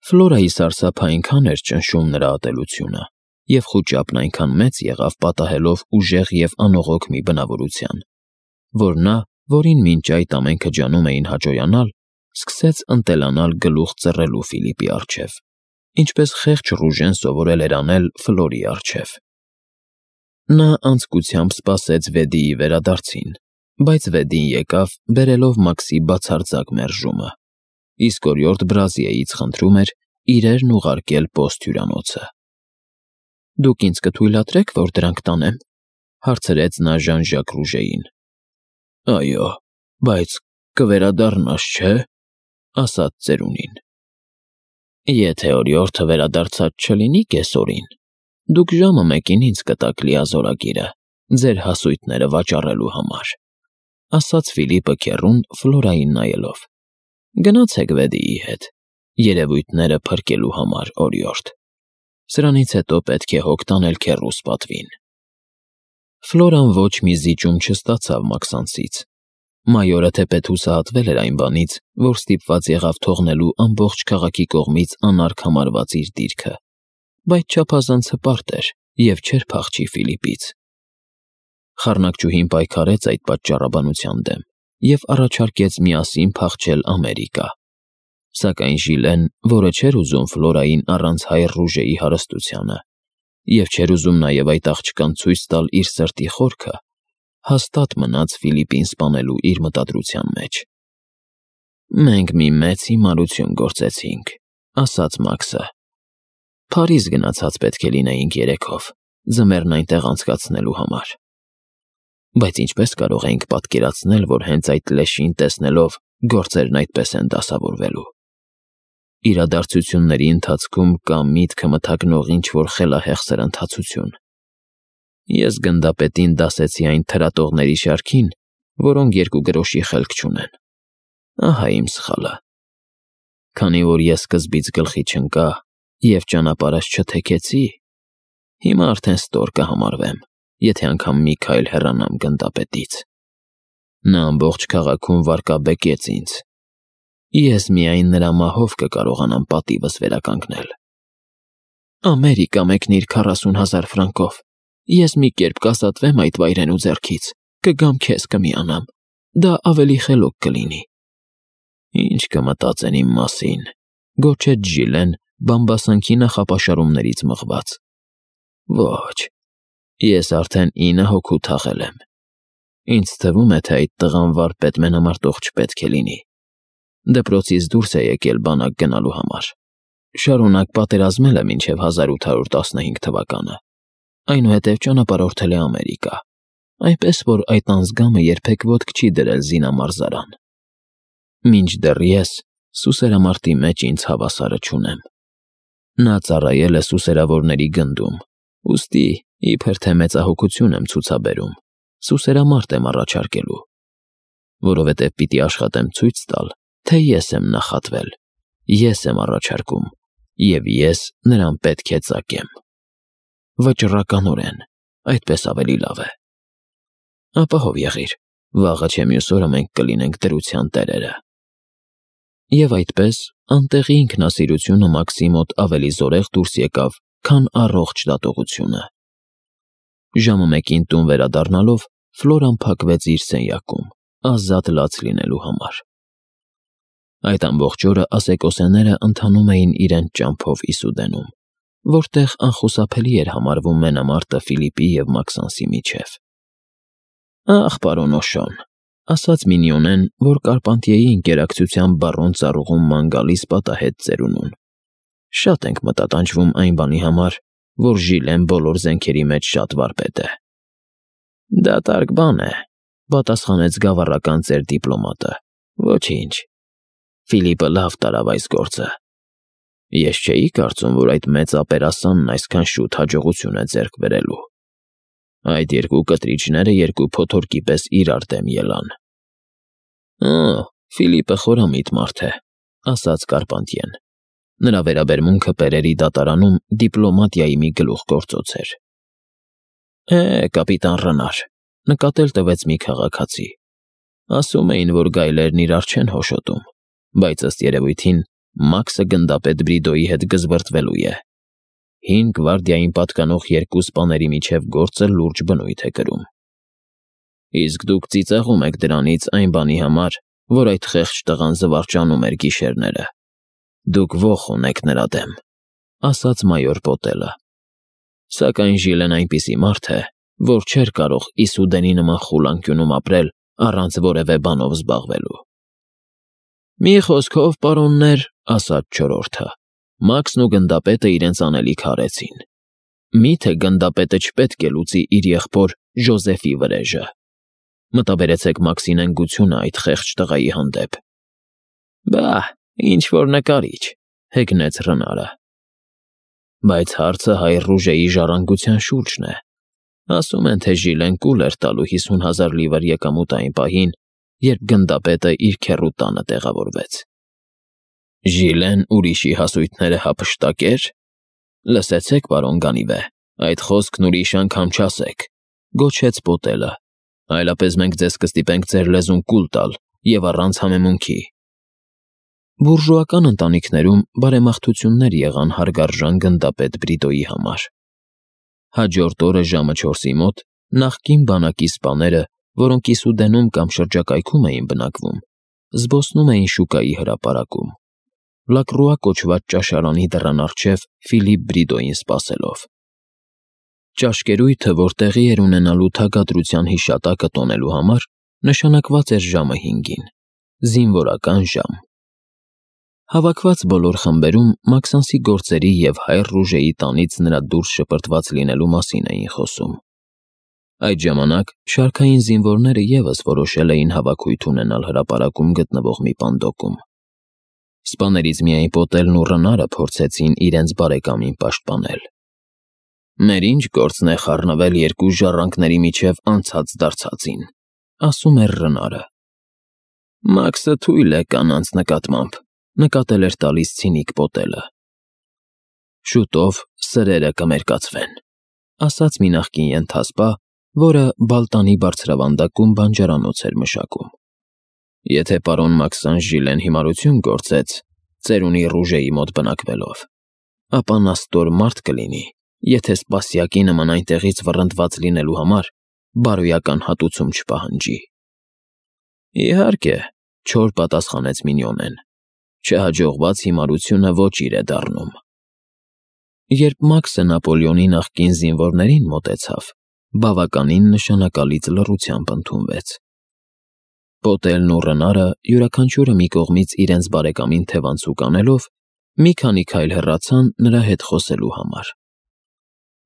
Ֆլորայի սարսափը այնքան էր ճնշում նրա ատելությունը, և խուճապն այնքան մեծ եղավ պատահելով ուժեղ և անողոք մի բնավորության, որ նա, որին մինչ այդ ամենքը ջանում էին հաճոյանալ, սկսեց ընտելանալ գլուխ ծռելու Ֆիլիպի առջև, ինչպես խեղճ Ռուժեն սովորել էր անել Ֆլորի առջև։ Նա անձկությամբ սպասեց Վեդիի վերադարձին, բայց Վեդին եկավ, բերելով Մաքսի բացարձակ մերժումը, իսկ օրիորդ Բրազիեից խնդրում էր իրերն ուղարկել պոստ հյուրանոցը։ «Դուք ինձ կթույլատրեք, որ դրանք տանեմ», հարցրեց նա Ժան-Ժակ Ռուժեին։ «Այո, բայց կվերադառնաս, չէ՞», ասաց ծերունին։ «Եթե օրիորդը վերադարձած չլինի կեսօրին, դուք ժամը 1-ին ինձ կտաք լիազորագիրը ձեր հասույթները վաճառելու համար», ասաց Ֆիլիպը քեռուն Ֆլորային նայելով։ «Գնացեք Վեդիի հետ, երևույթները փրկելու համար, օրիորդ։ Սրանից հետո պետք է հոգ տանել քեռուս պատվին»։ Ֆլորան ոչ մի զիջում չստացավ Մաքսանցից։ Մայորը թեպետ հուսահատվել էր այն բանից, որ ստիպված եղավ թողնելու ամբողջ քաղաքի կողմից անարգ համարված իր դիրքը, բայց չափազանց հպարտ էր և չէր փախչի Ֆիլիպից։ Խառնակչուհին պայքարեց այդ պատճառաբանության դեմ և առաջարկեց միասին փախչել Ամերիկա։ Սակայն Ժիլեն, որը չէր ուզում Ֆլորային առանց հայր Ռուժեի հարստությանը, և չէր ուզում նաև այդ աղջկան ցույց տալ իր սրտի խորքը, հաստատ մնաց Ֆիլիպին սպանելու իր մտադրության մեջ։ «Մենք մի մեծ հիմարություն գործեցինք», ասաց Մաքսը։ «Փարիզ գնացած պետք է լինեինք երեքով, ձմեռն այնտեղ անցկացնելու համար։ Բայց ինչպես կարող էինք պատկերացնել, որ հենց այդ լեշին տեսնելով գործերն այդպես են դասավորվելու։ Իրադարձությունների ընթացքում կա միտքը մթագնող ինչ-որ խելահեղ սրընթացություն։ Ես գնդապետին դասեցի այն թրատողների շարքին, որոնք 2 գրոշի խելք չունեն։ Ահա իմ սխալը։ Քանի որ ես սկզբից գլխի չընկա և ճանապարհս չթեքեցի, հիմա արդեն ստոր կհամարվեմ, եթե անգամ մի քայլ հեռանամ գնդապետից։ Նա ամբողջ քաղաքում վարկաբեկեց ինձ։ Ես միայն նրա մահով կկարողանամ պատիվս վերականգնել։ Ամերիկա մեկնիր 40,000 ֆրանկով։ Ես մի կերպ կասատվեմ այդ վայրենու ձեռքից, կգամ քեզ կմիանամ։ Դա ավելի խելոք կլինի։ Ինչ կմտածեն իմ մասին, գոչեց Ժիլեն բամբասանքի նախապաշարումներից մղված։ Ոչ, ես արդեն 9 հոգու թաղել եմ։ Ինձ թվում է, թե այդ տղան վարպետ մենամարտող չպետք է լինի։ Դպրոցից դուրս է եկել բանակ գնալու համար։ Շարունակ պատերազմել է մինչև 1815 թվականը։ Այնուհետև ճանապարհորդել է Ամերիկա, այնպես որ այդ անձգամը երբեք ոտք չի դրել զինամարզարան։ Մինչդեռ ես սուսերամարտի մեջ ինձ հավասարը չունեմ։ Նա ծառայել է սուսերավորների գնդում, ուստի իբր թե մեծահոգություն եմ ցուցաբերում, սուսերամարտ եմ առաջարկելու, որովհետև պիտի աշխատեմ ցույց տալ, թե ես եմ նախատվել, ես եմ առաջարկում, և ես նրան պետք է ծակեմ։ Վճռականորեն, այդպես ավելի լավ է։ Ապահով եղիր, վաղը չէ մյուս օրը մենք կլինենք դրության տերերը։ Եվ այդպես անտեղի ինքնասիրությունը Մաքսի մոտ ավելի զորեղ դուրս եկավ, քան առողջ դատողությունը։ Ժամը 1-ին տուն վերադառնալով Ֆլորան փակվեց իր սենյակում, ազատ լաց լինելու համար։ Այդ ամբողջ օրը ասեկոսեները ընթանում էին իրենց ճամփով Իսուդենում, որտեղ անխուսափելի էր համարվում մենամարտը Ֆիլիպի և Մաքսանսի միջև։ «Ախ, պարոն Օշոն», ասաց Մինիոնեն, որ Կարպանտիեի ընկերակցության բարոն ծառուղուն ման գալիս պատահեց ծերունուն։ «Շատ ենք մտատանջվում այն բանի համար, որ Ժիլեն բոլոր զենքերի մեջ շատ վարպետ է»։ «Դատարկ բան է», պատասխանեց գավառական ծեր դիպլոմատը։ «Ոչինչ, Ֆիլիպը լավ տարավ այս գործը։ Ես չէի կարծում, որ այդ մեծ ապերասանն այսքան շուտ հաջողություն է ձեռք բերելու։ Այդ 2 կտրիչները 2 փոթորկի պես իրար դեմ ելան»։ Ֆիլիպը խորամիտ մարդ է, ասաց Կարպանտիեն։ Նրա վերաբերմունքը Պերերի դատարանում դիպլոմատիայի մի գլուխգործոց էր։ Կապիտան Ռենար, նկատել տվեց մի քաղաքացի։ Ասում էին, որ գայլերն իրար չեն հոշոտում, բայց ըստ երևույթին Մաքսը գնդապետ Բրիդոյի հետ գզվրտվելու է։ 5 գվարդիային պատկանող 2 սպաների միջև գործը լուրջ բնույթ է կրում։ Իսկ դուք ծիծաղում եք դրանից այն բանի համար, որ այդ խեղճ տղան զվարճանում էր գիշերները։ Դուք ոխ ունեք նրա դեմ, ասաց մայոր Պոտելը։ Սակայն Ժիլեն այնպիսի մարդ է, որ չէր կարող Իսուդենի նման խուլանկյունում ապրել առանց որևէ բանով զբաղվելու։ Մի խոսքով, պարոններ, ասաց չորրորդը, Մաքսն ու գնդապետը իրենց անելիք արեցին։ Միթե գնդապետը չպետք է լուծի իր եղբոր Ժոզեֆի վրեժը։ Մտաբերեցեք Մաքսի նենգությունը այդ խեղճ տղայի հանդեպ։ Բա, ինչ-որ նկարիչ, հեգնեց Ռնարը։ Բայց հարցը հայր Ռուժեի ժառանգության շուրջն է։ Ասում են, թե Ժիլեն կուլ էր տալու 50,000 լիվր եկամուտ այն պահին, երբ գնդապետը իր քեռու տանը տեղավորվեց։ Ժիլեն ուրիշի հասույթները հափշտակեր։ Լսեցեք, պարոն Գանիվե, այդ խոսքն ուրիշ անգամ չասեք, գոչեց Պոտելը, այլապես մենք ձեզ կստիպենք ձեր լեզուն կուլ տալ և առանց համեմունքի։ Բուրժուական ընտանիքներում բարեմաղթություններ եղան հարգարժան գնդապետ Բրիդոյի համար։ Հաջորդ օրը ժամը 4-ի մոտ նախկին բանակի սպաները, որոնք Իսուդենում կամ շրջակայքում էին բնակվում, զբոսնում էին շուկայի հրապարակում, Լակրուա կոչված ճաշարանի դռան առջև Ֆիլիպ Բրիդոյին սպասելով։ Ճաշկերույթը, որ տեղի էր ունենալու թագադրության հիշատակը տոնելու համար, նշանակված էր ժամը 5-ին, զինվորական ժամ։ Հավաքված բոլոր խմբերում Մաքսանսի գործերի և հայր Ռուժեի տանից նրա դուրս շպրտված լինելու մասին էին խոսում։ Այդ ժամանակ շարքային զինվորները ևս որոշել էին հավաքույթ ունենալ հրապարակում գտնվող մի պանդոկում։ Սպաներից միայն Պոտելն ու Ռնարը փորձեցին իրենց բարեկամին պաշտպանել։ Մեր ինչ գործն է խառնվել երկու ժառանգների միջև անցած դարձածին, ասում էր Ռնարը։ Մաքսը թույլ է կանանց նկատմամբ, նկատել էր տալիս ցինիկ Պոտելը։ Շուտով սրերը կմերկացվեն, ասաց մի նախկին ենթասպա, որը Բալտանի բարձրավանդակում բանջարանոց էր մշակում։ Եթե պարոն Մաքսան Ժիլեն հիմարություն գործեց, ծերունի Ռուժեի մոտ բնակվելով, ապա նա ստոր մարդ կլինի, եթե սպասյակի նման այնտեղից վռնդված լինելու համար բարոյական հատուցում չպահանջի։ Իհարկե, չոր պատասխանեց Մինյոնեն, չհաջողված հիմարությունը ոչ իր է դառնում։ Երբ Մաքսը Նապոլեոնի նախկին զինվորներին մոտեցավ, բավականին նշանակալից լռությամբ ընդունվեց։ Պոտելն ու Ռնարը յուրաքանչյուրը մի կողմից իրենց բարեկամին թևանցուկ անելով, մի քանի քայլ հեռացան նրա հետ խոսելու համար։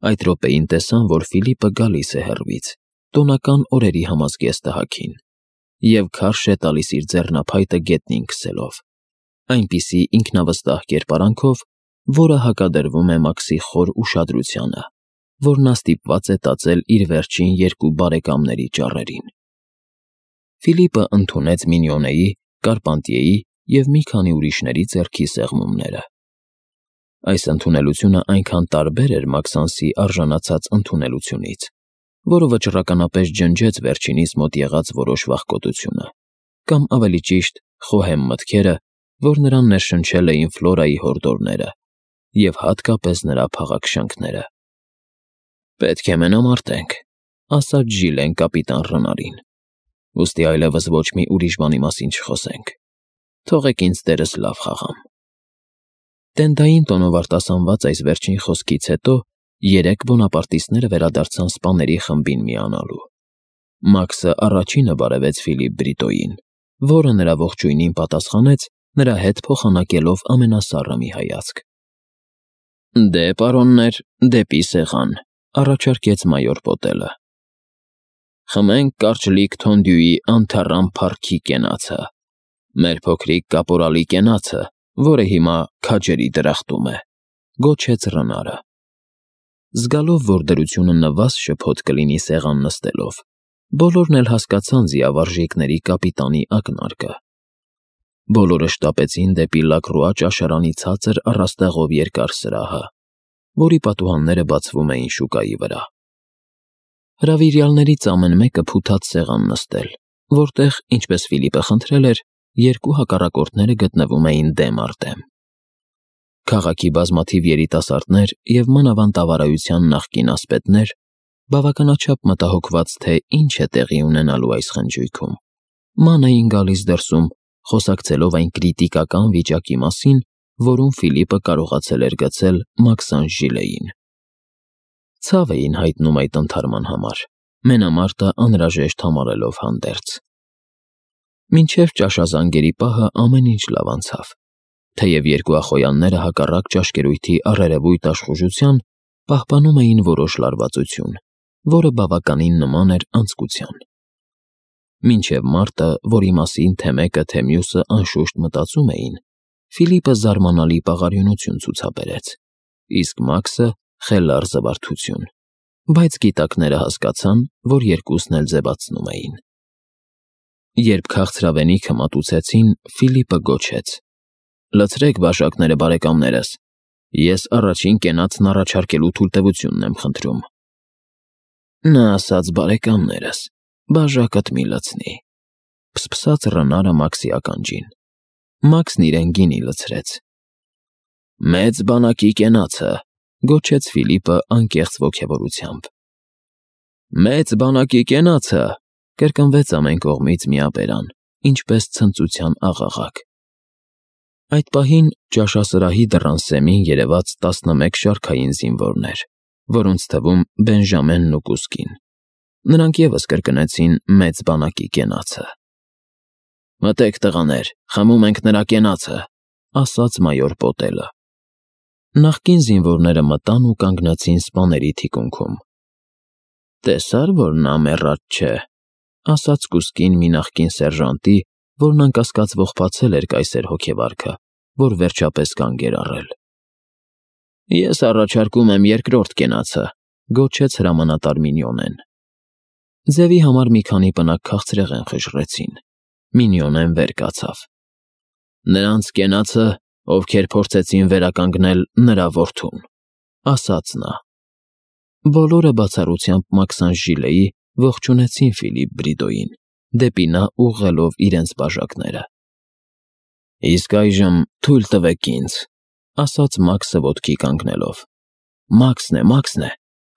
Այդ րոպեին տեսան, որ Ֆիլիպը գալիս է հեռվից, տոնական օրերի համազգեստահագին, և քարշ է տալիս իր ձեռնափայտը գետնին քսելով, այնպիսի ինքնավստահ կերպարանքով, որը հակադրվում է Մաքսի խոր ուշադրությանը, որ նա ստիպված է տածել իր վերջին 2 բարեկամների ճառերին։ Ֆիլիպը ընդունեց Մինյոնեի, Կարպանտիեի և մի քանի ուրիշների ձեռքի սեղմումները։ Այս ընդունելությունը այնքան տարբեր էր Մաքսանսի արժանացած ընդունելությունից, որը վճռականապես ջնջեց վերջինիս մոտ եղած որոշ վախկոտությունը, կամ ավելի ճիշտ, խոհեմ մտքերը, որ նրան ներշնչել էին Ֆլորայի հորդորները և հատկապես նրա փաղաքշանքները։ Պետք է մենամարտենք, ասաց Ժիլեն կապիտան Ռնարին։ Ուստի այլևս ոչ մի ուրիշ բանի մասին չխոսենք։ Թողեք ինձ տերս լավ խաղամ։ Տենդային տոնով արտասանված այս վերջին խոսքից հետո 3 բոնապարտիստները վերադարձան սպաների խմբին միանալու։ Մաքսը առաջինը բարևեց Ֆիլիպ Բրիդոյին, որը նրա ողջույնին պատասխանեց, նրա հետ փոխանակելով ամենասառը մի հայացք։ Դե, պարոններ, դեպի սեղան, առաջարկեց մայոր Պոտելը։ Խմենք կարճլիկ թոնդյուի անթառամ փառքի կենացը, մեր փոքրիկ կապորալի կենացը, որը հիմա քաջերի դրախտում է, գոչեց Ռնարը։ Զգալով, որ դրությունը նվազ շփոթ կլինի սեղան նստելով, բոլորն էլ հասկացան զիավարժիկների կապիտանի ակնարկը։ Բոլորը շտապեցին դեպի Լակրուա ճաշարանի ցածր առաստաղով երկար սրահը, որի պատուհանները բացվում էին շուկայի վրա։ Հրավիրյալներից ամեն մեկը փութած սեղան նստել, որտեղ, ինչպես Ֆիլիպը խնդրել էր, 2 հակառակորդները գտնվում էին դեմ առ դեմ։ Քաղաքի բազմաթիվ երիտասարդներ և մանավանդավարայության նախկին ասպետներ, բավականաչափ մտահոգված, թե ինչ է տեղի ունենալու այս խնջույքում, ման էին գալիս դրսում, խոսակցելով այն կրիտիկական վիճակի մասին, որում Ֆիլիպը կարողացել էր գցել Մաքսանժ Ժիլեին։ Ցավ էին հայտնում այդ ընթարման համար, մենամարտը անհրաժեշտ համարելով հանդերձ։ Մինչև ճաշազանգերի պահը ամեն ինչ լավ անցավ, թեև երկու ախոյանները հակառակ ճաշկերույթի առերևույթ աշխուժության պահպանում էին որոշ լարվածություն, որը բավականին նման էր անձկության։ Մինչև մարտը, որի մասին թե մեկը, թե մյուսը անշուշտ մտածում էին, Ֆիլիպը զարմանալի պաղարյունություն ցուցաբերեց, իսկ Մաքսը խելառ զվարթություն, բայց գիտակները հասկացան, որ երկուսն էլ ձևացնում էին։ Երբ քաղցրավենիքը մատուցեցին, Ֆիլիպը գոչեց. «Լցրեք բաժակները, բարեկամներս, ես առաջին կենացն առաջարկելու թույլտվությունն եմ խնդրում»։ Նա ասաց բարեկամներս, բաժակդ մի լցնի, փսփսաց Ռնարը Մաքսի ականջին։ Մաքսն իրեն գինի լցրեց։ «Մեծ բանակի կենացը», գոչեց Ֆիլիպը անկեղծ ոգևորությամբ։ «Մեծ բանակի կենացը», կրկնվեց ամեն կողմից միաբերան, ինչպես ցնծության աղաղակ։ Այդ պահին ճաշասրահի դռան սեմին երևաց 11 շարքային զինվորներ, որոնց թվում Բենժամենն ու Կուսկին։ Նրանք ևս կրկնեցին մեծ բանակի կենացը։ «Մտեք, տղաներ, խմում ենք նրա կենացը», ասաց մայոր Պոտելը։ Նախկին զինվորները մտան ու կանգնեցին սպաների թիկունքում։ «Տեսա՞ր, որ նա մեռած չէ», ասաց Կուսկին մի նախկին սերժանտի, որն անկասկած ողբացել էր կայսեր հոգեվարքը, որ վերջապես կանգ էր առել։ «Ես առաջարկում եմ երկրորդ կենացը», գոչեց հրամանատար Մինյոնեն։ Ձևի համար մի քանի պնակ քաղցրեղեն խժռեցին։ Մինյոնեն վեր կացավ։ «Նրանց կենացը, ովքեր փորձեցին վերականգնել նրա որդուն», ասաց նա։ Բոլորը բացառությամբ Մաքսանժ Ժիլեի ողջունեցին Ֆիլիպ Բրիդոյին, դեպի նա ուղղելով իրենց բաժակները։ «Իսկ այժմ թույլ տվեք ինձ», ասաց Մաքսը ոտքի կանգնելով։ Մաքսն է,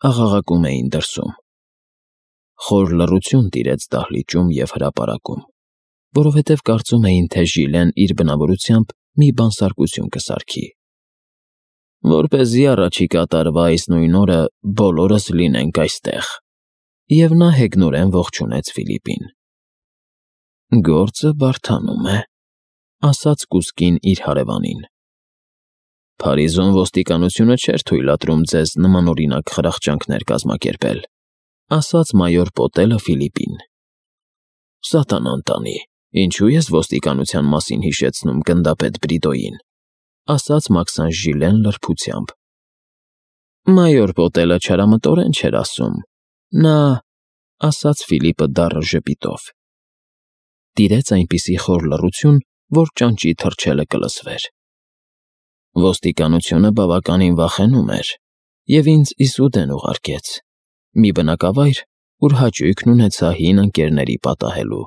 աղաղակում էին դրսում։ Խոր լռություն տիրեց դահլիճում և հրապարակում, որովհետև կարծում էին, թե Ժիլեն իր բնավորությամբ մի բանսարկություն կսարքի։ «Որպեսզի առաջիկա տարվա այս նույն օրը բոլորս լինենք այստեղ», և նա հեգնորեն ողջունեց Ֆիլիպին։ «Գործը բարդանում է», ասաց Կուսկին իր հարևանին։ «Փարիզում ոստիկանությունը չէր թույլատրում ձեզ նմանօրինակ խրախճանքներ կազմակերպել», ասաց մայոր Պոտելը Ֆիլիպին։ «Սատանան տանի, ինչու ես ոստիկանության մասին հիշեցնում գնդապետ Բրիդոյին», ասաց Մաքսանժ Ժիլեն լրբությամբ։ «Մայոր Պոտելը չարամտորեն չէր ասում, նա», ասաց Ֆիլիպը դառը ժպիտով։ Տիրեց այնպիսի խոր լռություն, որ ճանճի թռչելը կլսվեր։ Ոստիկանությունը բավականին վախենում էր և ինձ Իսուդեն ուղարկեց, մի բնակավայր, ուր հաճույքն ունեցա հին ընկերների պատահելու։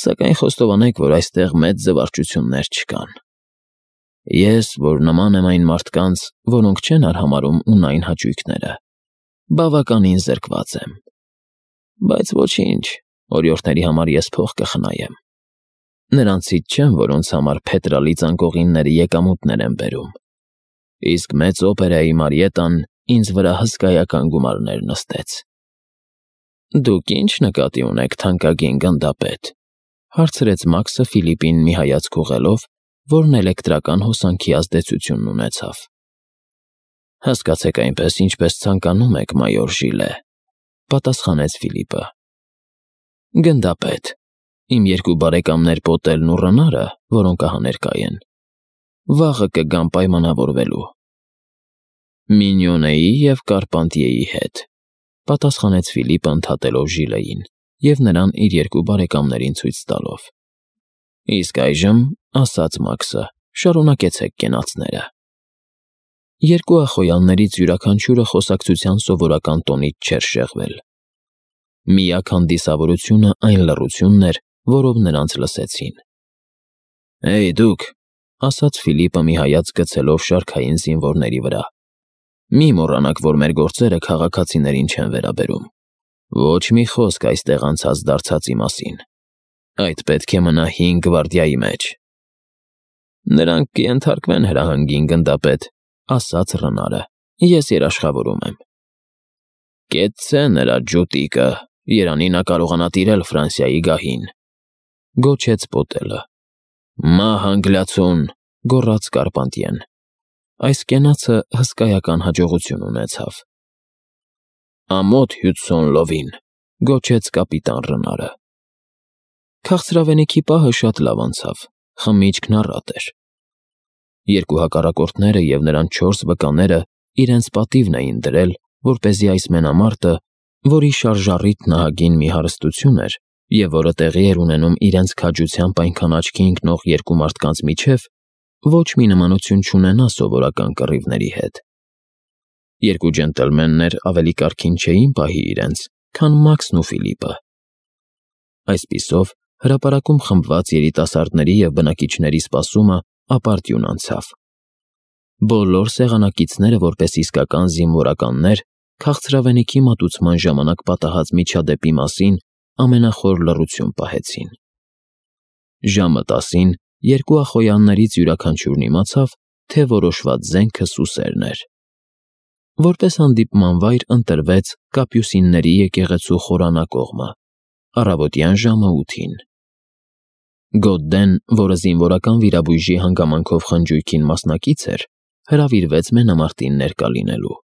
Սակայն խոստովանեք, որ այստեղ մեծ զվարճություններ չկան։ Ես, որ նման եմ այն մարդկանց, որոնք չեն արհամարհում ունայն հաճույքները, բավականին զրկված եմ։ Բայց ոչինչ, օրիորդների համար ես փող կխնայեմ։ Նրանցից չեմ, որոնց համար փետրալի ծանկողինները եկամուտներ են բերում։ Իսկ մեծ օպերայի մարիետան ինձ վրա հսկայական գումարներ նստեց։ Դուք ինչ նկատի ունեք, թանկագին գնդապետ, հարցրեց Մաքսը Ֆիլիպին մի հայացք ուղղելով, որն էլեկտրական հոսանքի ազդեցություն ունեցավ։ Հասկացեք այնպես, ինչպես ցանկանում եք, մայոր Ժիլե, պատասխանեց Ֆիլիպը։ Գնդապետ, իմ երկու բարեկամներ Պոտելն ու Ռնարը, որոնք ահա ներկա են, վաղը կգան պայմանավորվելու։ Մինյոնեի և Կարպանտիեի հետ, պատասխանեց Ֆիլիպը ընդհատելով Ժիլեին և նրան իր երկու բարեկամներին ցույց տալով։ Իսկ այժմ, ասաց Մաքսը, շարունակեցեք կենացները։ Երկու ախոյաններից յուրաքանչյուրը խոսակցության սովորական տոնից չէր շեղվել։ Միակ հանդիսավորությունը այն լռությունն էր, որով նրանց լսեցին։ Դուք, ասաց Ֆիլիպը մի հայացք գցելով շարքային զինվորների վրա։ Մի մոռանաք, որ մեր գործերը քաղաքացիներին չեն վերաբերում։ Ոչ մի խոսք այստեղ անցած դարձածի մասին։ Այդ պետք է մնա 5 գվարդիայի մեջ։ Նրանք կենթարկվեն հրահանգին, գնդապետ, ասաց Ռնարը։ Ես երաշխավորում եմ։ Կեցցե նրա ջուտիկը, երանի նա կարողանա տիրել Ֆրանսիայի գահին, գոչեց Պոտելը։ Մահ անգլիացուն, գոռաց Կարպանտիեն։ Այս կենացը հսկայական հաջողություն ունեցավ։ Ամոթ Հյուդսոն լովին, գոչեց կապիտան Ռնարը։ Քաղցրավենիքի պահը շատ լավ անցավ, խմիչքն առատ էր։ Երկու հակառակորդները և նրանց 4 վկաները իրենց պատիվն էին դրել, որպեսզի այս մենամարտը, որի շարժառիթն ահագին մի հարստություն էր, և որը տեղի էր ունենում իրենց քաջությամբ այնքան աչքի ընկնող երկու մարդկանց միջև, ոչ մի նմանություն չունենա սովորական կռիվների հետ։ Երկու ջենտլմեններ ավելի կարգին չէին պահի իրենց, քան Մաքսն ու Ֆիլիպը։ Այսպիսով, հրապարակում խմբված երիտասարդների և բնակիչների սպասումը ապարդյուն անցավ։ Բոլոր սեղանակիցները, որպես իսկական զինվորականներ, քաղցրավենիքի մատուցման ժամանակ պատահած միջադեպի մասին ամենախոր լռություն պահեցին։ Ժամը 10-ին երկու ախոյաններից յուրաքանչյուրն իմացավ, թե որոշված զենքը Սուսերն էր։ Որպես հանդիպման վայր ընտրվեց Կապյուսինների եկեղեցու խորանակողմը, առավոտյան ժամը 8-ին։ Գոդդեն, որը զինվորական վիրաբույժի հանգամանքով խնջույքին մասնակից էր, հրավիրվեց մենամարտին ներկա լինելու։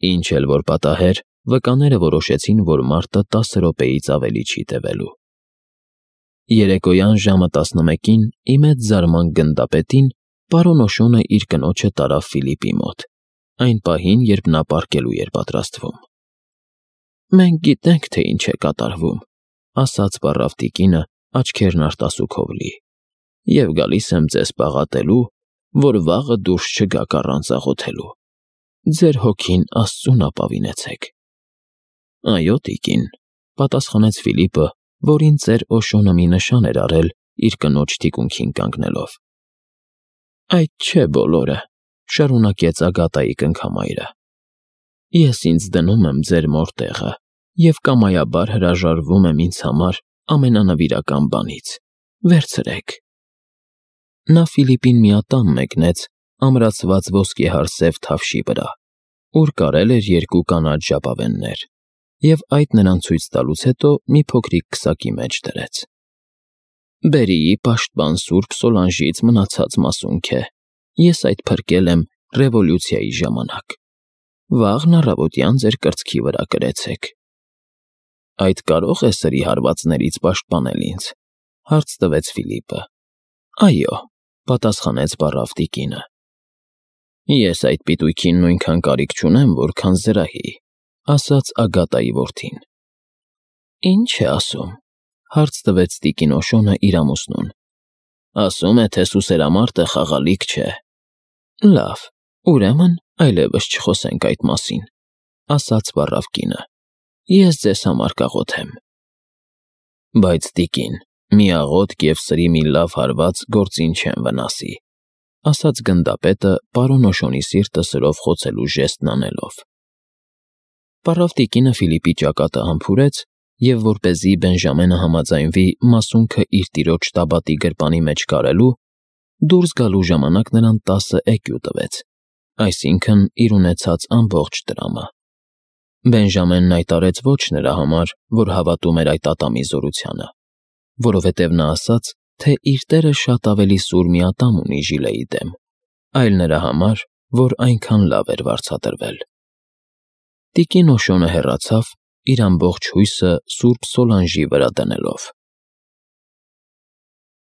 Ինչ էլ որ պատահեր, վկաները որոշեցին, որ մարտը 10 րոպեից ավելի չի տևելու։ Երեկոյան ժամը 11-ին ի մեծ զարմանք գնդապետին պարոն Օշոնը իր կնոջը տարավ Ֆիլիպի մոտ, այն պահին, երբ նա պառկելու էր պատրաստվում։ Մենք գիտենք, թե ինչ է կատարվում, ասաց պառավ տիկինը, աչքերն արտասուքով լի, և գալիս եմ ձեզ պաղատելու, որ վաղը դուրս չգաք առանց աղոթելու։ Ձեր հոգին Աստծուն ապավինեցեք։ Այո, տիկին, պատասխանեց Ֆիլիպը, որին ծեր Օշոնը մի նշան էր արել իր կնոջ թիկունքին կանգնելով։ Այդ չէ բոլորը, շարունակեց Ագատայի կնքամայրը։ Ես ինձ դնում եմ ձեր մոր տեղը և կամայաբար հրաժարվում եմ ինձ համար ամենանվիրական բանից։ Վերցրեք։ Նա Ֆիլիպին մի ատամ մեկնեց ամրացված ոսկեհար սև թավշի վրա, ուր կարել էր 2 կանաչ ժապավեններ, և այդ նրան ցույց տալուց հետո մի փոքրիկ քսակի մեջ դրեց։ Բերիի պաշտպան Սուրբ Սոլանժից մնացած մասունք է։ Ես այդ փրկել եմ ռևոլյուցիայի ժամանակ։ Վաղն առավոտյան ձեր կրծքի վրա կրեցեք։ Այդ կարող է սրի հարվածներից պաշտպանել ինձ, հարց տվեց Ֆիլիպը։ Այո, պատասխանեց պառավ տիկինը։ Ես այդ պիտույքին նույնքան կարիք չունեմ, որքան զրահի, ասաց Ագատայի որդին։ Ինչ է ասում, հարց տվեց տիկին Օշոնը իր ամուսնուն։ Ասում է, թե սուսերամարտը խաղալիք չէ։ Լավ, ուրեմն այլևս չխոսենք այդ մասին, ասաց պառավ կինը։ Ես ձեզ համար կաղոթեմ։ Բայց տիկին, մի աղոթք և սրի մի լավ հարված գործին չեն վնասի, ասաց գնդապետը պարոն Օշոնի սիրտը սրով խոցելու ժեստն անելով։ Պառավ տիկինը Ֆիլիպի ճակատը համբուրեց և, որպեսզի Բենժամենը համաձայնվի մասունքը իր տիրոջ տաբատի գրպանի մեջ կարելու, դուրս գալու ժամանակ նրան 10 էկյու տվեց, այսինքն իր ունեցած ամբողջ տրամը։ Բենժամենն այդ արեց ոչ նրա համար, որ հավատում էր այդ ատամի զորությանը, որովհետև նա ասաց, թե իր տերը շատ ավելի սուր մի ատամ ունի Ժիլեի դեմ, այլ նրա համար, որ այնքան լավ էր վարձատրվել։ Տիկին Օշոնը հեռացավ, իր ամբողջ հույսը Սուրբ Սոլանժի վրա դնելով։